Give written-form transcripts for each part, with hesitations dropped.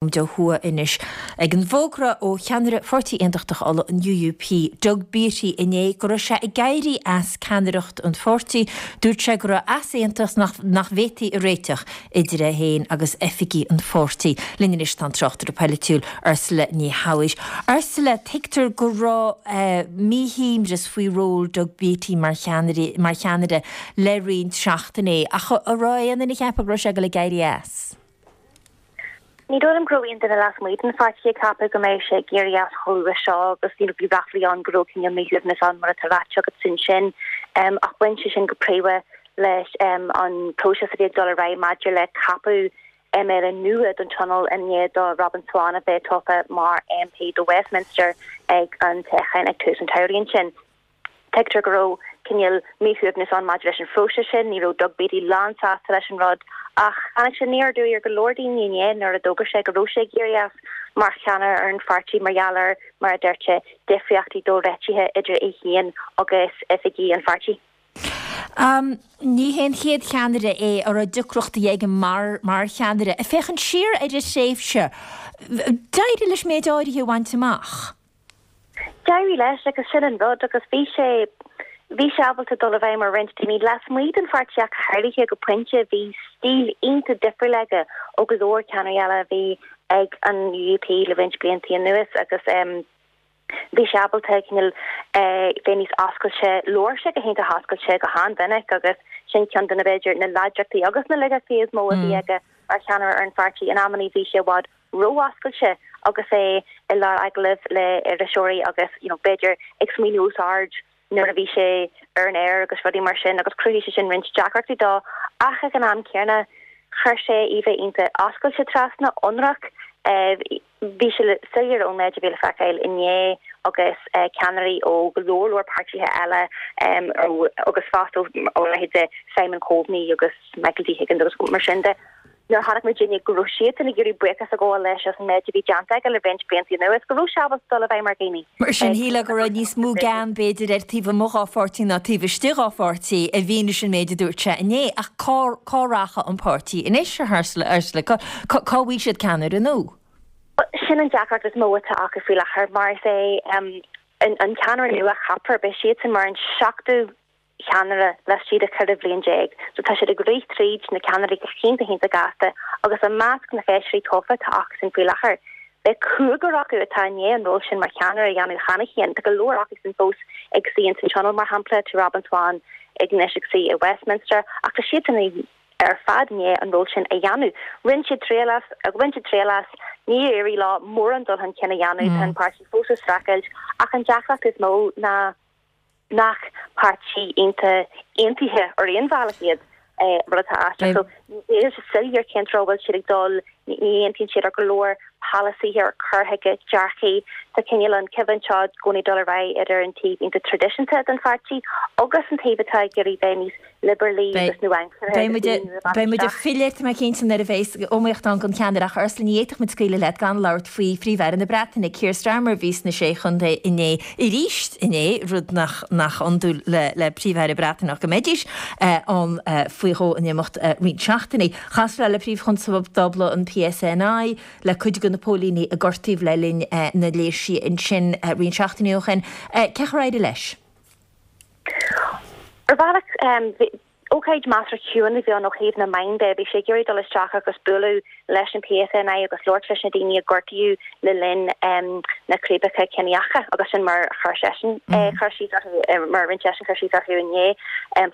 Ó thuaidh anois. Ag an bhfógra ó cheannaire Pháirtí Aontachtach Uladh, an UUP, Doug Beattie inné go raibh sé ag éirí as ceannaireacht an pháirtí, dúirt sé go raibh easaontas nach bhféadfaí a réiteach idir é féin agus oifigigh an pháirtí. Linn anois tá an tráchtaire polaitiúil Ursula Ní Shamhaois. Ursula, tuigtear go raibh míshuaimhneas faoi ról Doug Beattie mar cheannaire le roinnt seachtainí, ach an raibh aon duine ag ceapadh go raibh sé ag dul ag éirí as? Ní dóigh liom go raibh aon duine lasmuigh den pháirtí ag ceapadh go mbeadh sé ag éirí as chomh luath seo agus you know bhí ráflaí ann go raibh cineál míshuaimhneas ann mar atá ráite agat ansin ach bhain sé sin go príomha leis an próiseas a bhí ag dul ar aghaidh maidir le ceapadh MLA nua don Tionól i ndiaidh do Robin Swann a bheith tofa mar MP do Westminster ag an toghchán ag tús an tsamhraidh ansin. Tuigtear go raibh cineál míshuaimhneas ann maidir leis an phróiseas sin, ní raibh Doug Beattie lánsásta leis an rud ach tháinig sé aniar aduaidh ar go leor daoine inné nuair a d'fhógair sé go raibh sé ag éirí as mar cheannaire ar an pháirtí mar gheall ar, mar a dúirt sé, difríochtaí dóréitithe idir é féin agus oifigigh an pháirtí. Ní hé an chéad cheannaire é a raibh deacrachtaí aige mar mar cheannaire. Ag féachaint siar ar a thréimhse, d'éirigh leis méid áirithe a bhaint amach. D'éirigh leis agus sin an rud agus bhí sé, bhí sé ábalta dul i bhfeidhm ar roinnt daoine lasmuigh den pháirtí ach go háirithe go pointe. Bhí stíl iontach difriúil aige ó go leor ceannairí eile a bhí ag an UUP le roinnt blianta anuas agus bhí sé ábalta cineál bheith níos oscailte. Labhair sé go hiontach oscailte go han-mhinic agus sin ceann de na, b'fhéidir, na láidreachtaí agus na laigeachtaí is mó a bhí aige mar cheannaire ar an pháirtí. In amannaí bhí sé i bhfad ró-oscailte agus é i lár agallaimh le iriseoirí agus you know b'fhéidir ag smaoineamh os ard nuair a bhí sé ar an aer agus rudaí mar sin agus chruthaigh sé sin roinnt deacrachtaí dó ach ag an am céanna chuir sé íomhá iontach oscailte trasna, ionraic. Bhí sé soiléir ón méid a bhí le feiceáil inné agus ceannairí ó go leor leor páirtithe eile agus fosta ó leithéid de Simon Coveney agus Michael D Higgins agus mar sin de. Nuair a chonaic muidinne go raibh siadsan ag iarraidh buíochas a ghabháil leis as an méid a bhí déanta aige le roinnt blianta anuas, go raibh sé ábalta dul i bhfeidhm ar dhaoine. Mar sin, shílfeá go raibh níos mó gean, b'fhéidir, air taobh amuigh dhá pháirtí ná taobh istigh dhá pháirtí, i bhfianaise an méid a dúirt sé inné. Ach cá, cá rachaidh an páirtí anois, a Ursula? Cá, cá bhfaighidh siad ceannaire nua? Sin an deacracht is mó atá acu faoi láthair, mar is é an ceannaire nua a cheapfar, beidh siadsan mar an seachtú cheannaire laistigh de 14 bhliain. So tá siad ag rith tríd na ceannairí go hiontach iontach gasta agus i measc na feisirí tofa atá acusan faoi láthair, beidh cúigear acu atá i ndiaidh an ról sin mar cheannaire a dhéanamh cheana féin. Tá go leor acusan fós ag suí ins an Tionól, mar shampla, tá Robin Swann ag anois ag suí i Westminster ach tá siadsan ar fad i ndiaidh an ról sin a dhéanamh. Rinne siad triail as, bhain siad triail as, níor éirigh leo mórán dul chun cinn a dhéanamh, tá an páirtí fós ag streachailt ach an deacracht is mó ná, nach páirtí iontach aontaithe ar aon bhealach iad, rud atá aisteach. So níl sé soiléir cén treo a bhfuil siad ag dul, ní aontaíonn siad ar go leor polasaithe ar cur chuige, dearcaí. Tá cineál an choimhlint seo i gcónaí ag dul ar aghaidh idir an taobh iontach traidisiúnta den pháirtí agus an taobh atá ag iarraidh bheith níos liobrálai agus nua-aimseartha agus daoine nua a Beidh muid ag filleadh, tá mé cinnte, nuair a bheas iomaíocht ann don cheannaire ach Ursula, ní fhéadfadh muid scaoileadh leat gan labhairt faoi Phríomh-Aire na Breataine, Keir Starmer, a bhí sna Sé Chontae inné, arís inné, rud nach nach iondúil le le Príomh-Aire Breataineach go mbeidís ann faoi dhó in imeacht roinnt seachtainí. Chas sé le Príomh-Chonstábla an PSNI, le cuid de na póilíní a gortaíodh le linn na léirsithe ansin roinnt seachtainí ó shin. Cén chaoi ar éirigh leis? Ar bhealach, ócáid measartha chiúin a bhí ann ó thaobh na meán de. Bhí sé ag iarraidh dul isteach agus bualadh leis an PSNI agus labhairt leis na daoine a gortaíodh le linn na círéibeacha ciníocha agus sin mar a chuir seisean cur síos orthu, mar a rinne seisean cur síos orthu inné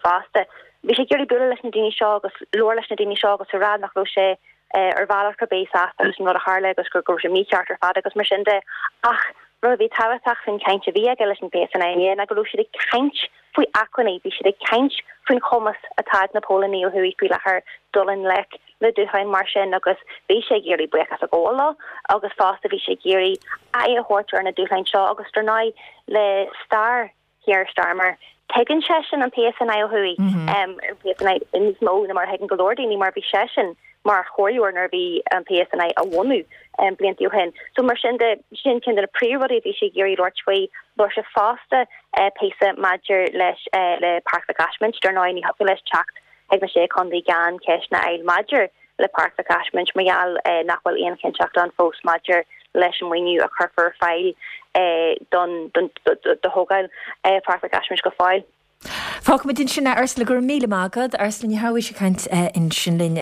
fosta. Bhí sé ag iarraidh bualadh leis na daoine seo agus labhairt leis na daoine seo agus a rá nach raibh sé ar bhealach ar bith sásta leis an rud a tharla agus go raibh sé mícheart ar fad agus mar sin de. Ach rud a bhí tábhachtach faoin chaint a bhí aige leis an PSNI inné ná go raibh siad ag caint faoi acmhainní, bhí siad ag caint faoin chumas atá ag na póilíní ó thuaidh faoi láthair dul i ngleic le dúshláin mar sin agus bhí sé ag iarraidh buíochas a ghabháil leo agus fosta bhí sé ag iarraidh aghaidh a thabhairt ar na dúshláin seo agus dar ndóigh le stair Keir Starmer. Tuigeann seisean an PSNI ó thuaidh, an PSNI níos mó ná mar a thuigeann go leor daoine mar bhí seisean mar chomhairleoir nuair a bhí an PSNI á bhunú blianta ó shin. So mar sin de, sin ceann de na príomhrudaí a bhí sé ag iarraidh labhairt faoi. Labhair sé fosta píosa maidir leis le Páirc Mhic Ásmaint. Dar ndóigh ní thiocfadh leis teacht chuig na Sé Chontae gan ceisteanna a fháil maidir. le Páirc Mhic Ásmaint mar gheall nach bhfuil aon chinnteacht ann fós maidir leis an maoiniú a chuirfear ar fáil don do thógáil Páirc Mhic Ásmaint go fóill. Fágfaimid ansin é, Ursula, go raibh míle maith agat. Ursula Ní Shabhaois ag caint ansin linn.